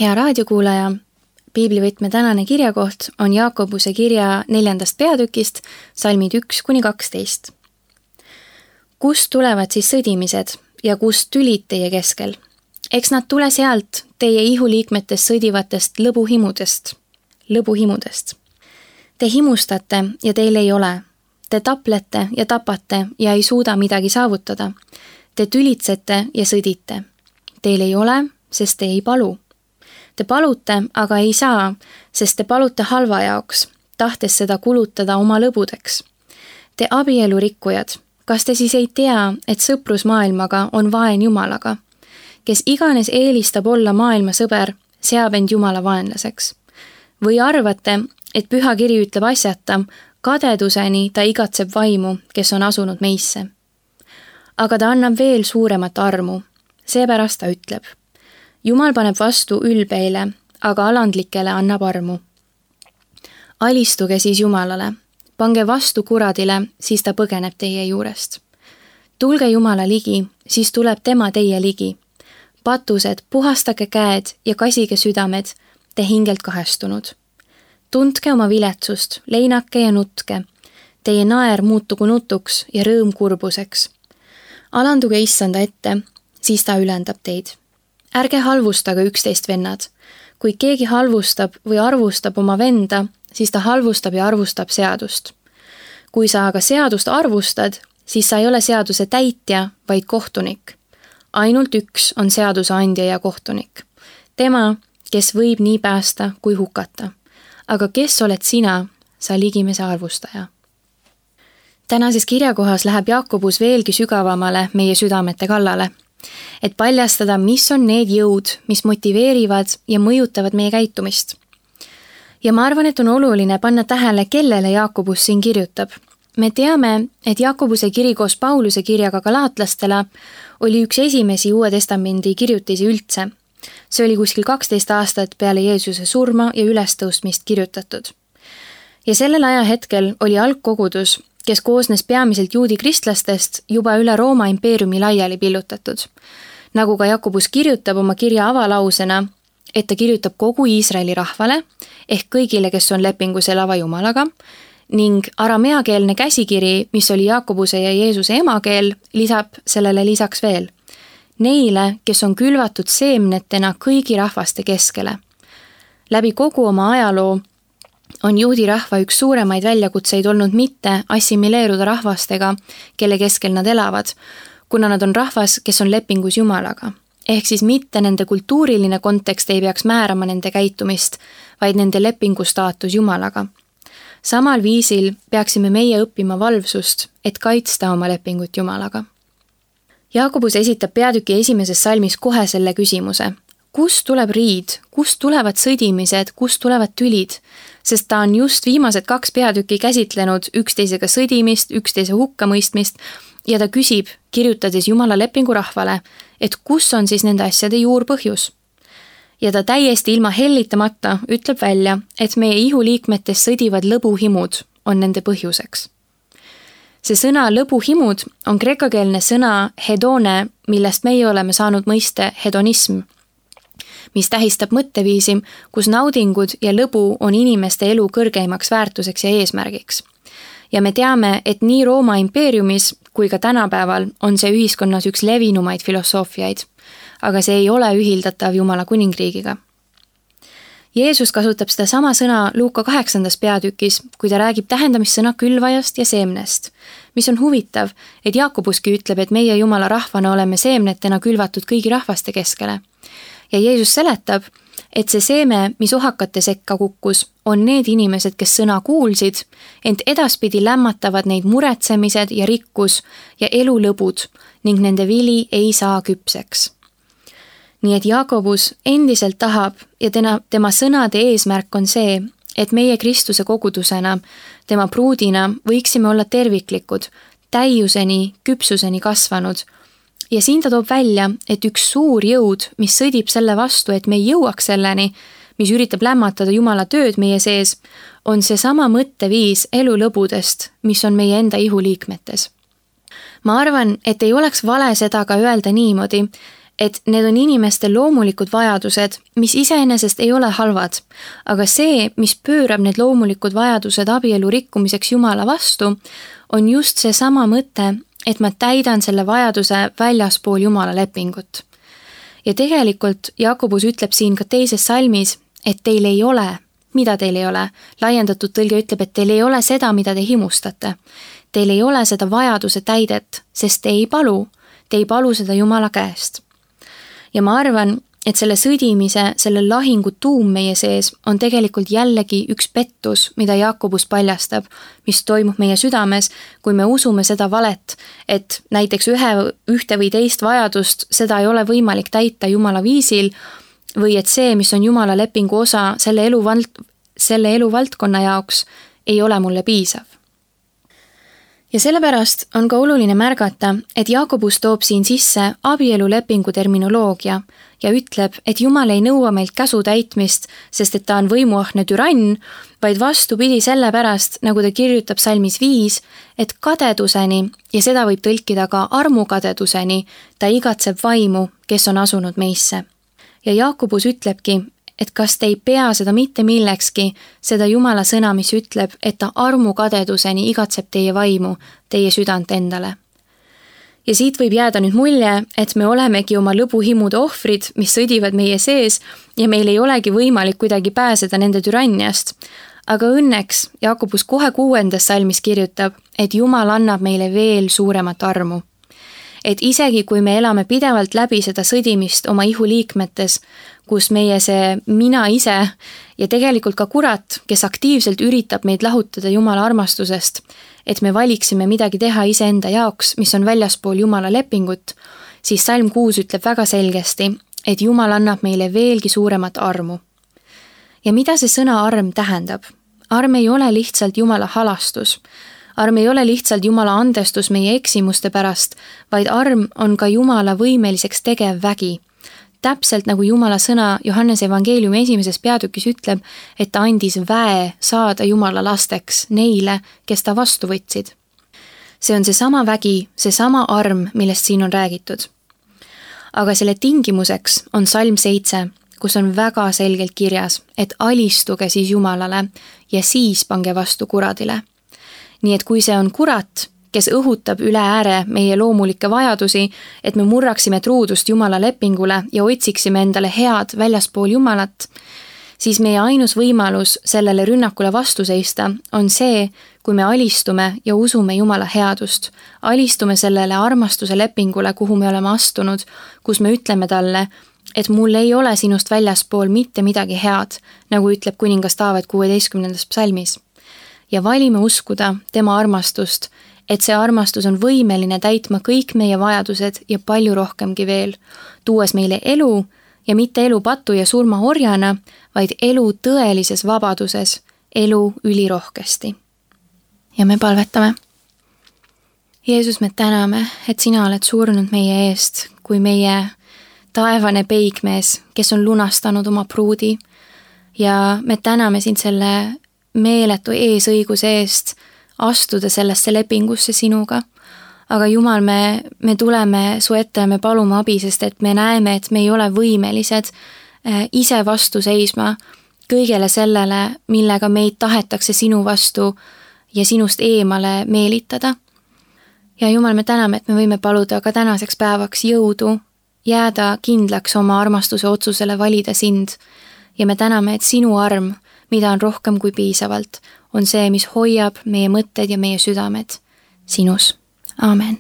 Hea raadiokuulaja, Piiblivõtme tänane kirjakoht on Jaakobuse kirja 4. peatükist, salmid 1-12. Kust tulevad siis sõdimised ja kust tülid teie keskel? Eks nad tule sealt teie ihuliikmetest sõdivatest lõbuhimudest. Te himustate ja teil ei ole. Te taplete ja tapate ja ei suuda midagi saavutada. Te tülitsete ja sõdite. Teil ei ole, sest te ei palu. Te palute, aga ei saa, sest te palute halva jaoks, tahtes seda kulutada oma lõbudeks. Te abielurikkujad, kas te siis ei tea, et sõprus maailmaga on vaen Jumalaga? Kes iganes eelistab olla maailma sõber, seab end Jumala vaenlaseks. Või arvate, et püha kiri ütleb asjata, kadeduseni ta igatseb vaimu, kes on asunud meisse. Aga ta annab veel suuremat armu, seepärast ta ütleb. Jumal paneb vastu ülbeile, aga alandlikele annab armu. Alistuge siis Jumalale, pange vastu kuradile, siis ta põgeneb teie juurest. Tulge Jumala ligi, siis tuleb tema teie ligi. Patused, puhastage käed ja kasige südamed, te hingelt kahestunud. Tundke oma viletsust, leinake ja nutke. Teie naer muutugu nutuks ja rõõm kurbuseks. Alanduge issanda ette, siis ta ülendab teid. Ärge halvustage üksteist vennad. Kui keegi halvustab või arvustab oma venda, siis ta halvustab ja arvustab seadust. Kui sa aga seadust arvustad, siis sa ei ole seaduse täitja, vaid kohtunik. Ainult üks on seaduse andja ja kohtunik. Tema, kes võib nii päästa kui hukata. Aga kes oled sina, sa ligimese arvustaja? Tänases kirjakohas läheb Jaakobus veelgi sügavamale meie südamete kallale, et paljastada, mis on need jõud, mis motiveerivad ja mõjutavad meie käitumist. Ja ma arvan, et on oluline panna tähele, kellele Jaakobus siin kirjutab. Me teame, et Jaakobuse kiri koos Pauluse kirjaga galaatlastele oli üks esimesi Uue Testamendi kirjutisi üldse. See oli kuskil 12 aastat peale Jeesuse surma ja ülestõustmist kirjutatud. Ja sellel ajahetkel oli algkogudus, kes koosnes peamiselt juudi kristlastest, juba üle Rooma impeeriumi laiali pillutatud. Nagu ka Jakobus kirjutab oma kirja avalausena, et ta kirjutab kogu Iisraeli rahvale, ehk kõigile, kes on lepingus elava Jumalaga, ning arameakeelne käsikiri, mis oli Jakobuse ja Jeesuse emakeel, lisab sellele lisaks veel. Neile, kes on külvatud seemnetena kõigi rahvaste keskele. Läbi kogu oma ajaloo on juudi rahva üks suuremaid väljakutseid olnud mitte assimileeruda rahvastega, kelle keskel nad elavad, kuna nad on rahvas, kes on lepingus Jumalaga. Ehk siis mitte nende kultuuriline kontekst ei peaks määrama nende käitumist, vaid nende lepingu staatus Jumalaga. Samal viisil peaksime meie õppima valvsust, et kaitsta oma lepingut Jumalaga. Jaakobus esitab peatüki 1. salmis kohe selle küsimuse. Kust tuleb riid, kust tulevad sõdimised, kust tulevad tülid? Sest ta on just viimased 2 peatükki käsitlenud üksteisega sõdimist, üksteise hukkamõistmist ja ta küsib, kirjutades Jumala lepingu rahvale, et kus on siis nende asjade juurpõhjus. Ja ta täiesti ilma hellitamata ütleb välja, et meie ihuliikmetes sõdivad lõbuhimud on nende põhjuseks. See sõna lõbuhimud on kreekakeelne sõna hedone, millest meie oleme saanud mõiste hedonism, mis tähistab mõtteviisi, kus naudingud ja lõbu on inimeste elu kõrgeimaks väärtuseks ja eesmärgiks. Ja me teame, et nii Rooma impeeriumis kui ka tänapäeval on see ühiskonnas üks levinumaid filosoofiaid, aga see ei ole ühildatav Jumala kuningriigiga. Jeesus kasutab seda sama sõna Luuka 8. peatükis, kui ta räägib tähendamissõna külvajast ja seemnest, mis on huvitav, et Jaakobuski ütleb, et meie Jumala rahvana oleme seemnetena külvatud kõigi rahvaste keskele. Ja Jeesus seletab, et see seeme, mis ohakate sekka kukkus, on need inimesed, kes sõna kuulsid, ent edaspidi lämmatavad neid muretsemised ja rikkus ja elulõbud ning nende vili ei saa küpseks. Nii et Jaakobus endiselt tahab ja tema sõnade eesmärk on see, et meie Kristuse kogudusena, tema pruudina võiksime olla terviklikud, täiuseni, küpsuseni kasvanud. Ja siin ta toob välja, et üks suur jõud, mis sõdib selle vastu, et me ei jõuaks selleni, mis üritab lämmatada Jumala tööd meie sees, on see sama mõtteviis elulõbudest, mis on meie enda ihuliikmetes. Ma arvan, et ei oleks vale seda ka öelda niimoodi, et need on inimeste loomulikud vajadused, mis iseenesest ei ole halvad, aga see, mis pöörab need loomulikud vajadused abielu rikkumiseks Jumala vastu, on just see sama mõte, et ma täidan selle vajaduse väljaspool Jumala lepingut. Ja tegelikult Jakobus ütleb siin ka teises salmis, et teil ei ole, mida teil ei ole. Laiendatud tõlge ütleb, et teil ei ole seda, mida te himustate. Teil ei ole seda vajaduse täidet, sest te ei palu seda Jumala käest. Ja ma arvan, et selle sõdimise, selle lahingu tuum meie sees on tegelikult jällegi üks pettus, mida Jakobus paljastab, mis toimub meie südames, kui me usume seda valet, et näiteks ühte või teist vajadust, seda ei ole võimalik täita Jumala viisil, või et see, mis on Jumala lepingu osa selle eluvaldkonna jaoks, ei ole mulle piisav. Ja sellepärast on ka oluline märgata, et Jakobus toob siin sisse abielulepingu terminoloogia ja ütleb, et Jumal ei nõua meilt käsu täitmist, sest et ta on võimuahne türann, vaid vastupidi sellepärast, nagu ta kirjutab salmis 5, et kadeduseni, ja seda võib tõlkida ka armukadeduseni, ta igatseb vaimu, kes on asunud meisse. Ja Jakobus ütlebki, et kas te ei pea seda mitte millekski, seda Jumala sõna, mis ütleb, et ta armukadeduseni igatseb teie vaimu, teie südant endale. Ja siit võib jääda nüüd mulje, et me olemegi oma lõbuhimude ohvrid, mis sõdivad meie sees ja meil ei olegi võimalik kuidagi pääseda nende türanniast. Aga õnneks Jakobus kohe 6. salmis kirjutab, et Jumal annab meile veel suuremat armu. Et isegi kui me elame pidevalt läbi seda sõdimist oma ihuliikmetes, kus meie see mina ise ja tegelikult ka kurat, kes aktiivselt üritab meid lahutada Jumala armastusest, et me valiksime midagi teha iseenda jaoks, mis on väljaspool Jumala lepingut, siis salm 6 ütleb väga selgesti, et Jumal annab meile veelgi suuremat armu. Ja mida see sõna arm tähendab? Arm ei ole lihtsalt Jumala halastus. Arm ei ole lihtsalt Jumala andestus meie eksimuste pärast, vaid arm on ka Jumala võimeliseks tegev vägi. Täpselt nagu Jumala sõna Johannese evangeeliumi 1. peatükis ütleb, et ta andis väe saada Jumala lasteks neile, kes ta vastu võtsid. See on seesama vägi, seesama arm, millest siin on räägitud. Aga selle tingimuseks on salm 7, kus on väga selgelt kirjas, et alistuge siis Jumalale ja siis pange vastu kuradile. Nii et kui see on kurat, kes õhutab üle ääre meie loomulikke vajadusi, et me murraksime truudust Jumala lepingule ja otsiksime endale head väljaspool Jumalat, siis meie ainus võimalus sellele rünnakule vastu seista on see, kui me alistume ja usume Jumala headust, alistume sellele armastuse lepingule, kuhu me oleme astunud, kus me ütleme talle, et mul ei ole sinust väljaspool mitte midagi head, nagu ütleb kuningas Taavet 16. psalmis. Ja valime uskuda tema armastust, et see armastus on võimeline täitma kõik meie vajadused ja palju rohkemgi veel, tuues meile elu ja mitte elu patu ja surma orjana, vaid elu tõelises vabaduses, elu ülirohkesti. Ja me palvetame. Jeesus, me täname, et sina oled surnud meie eest, kui meie taevane peigmees, kes on lunastanud oma pruudi, ja me täname sind selle meeletu eesõiguse eest astuda sellesse lepingusse sinuga. Aga Jumal, me tuleme su ette ja me palume abi, sest et me näeme, et me ei ole võimelised ise vastu seisma kõigele sellele, millega meid tahetakse sinu vastu ja sinust eemale meelitada. Ja Jumal, me täname, et me võime paluda ka tänaseks päevaks jõudu, jääda kindlaks oma armastuse otsusele valida sind. Ja me täname, et sinu arm, mida on rohkem kui piisavalt, on see, mis hoiab meie mõtted ja meie südamed sinus. Aamen.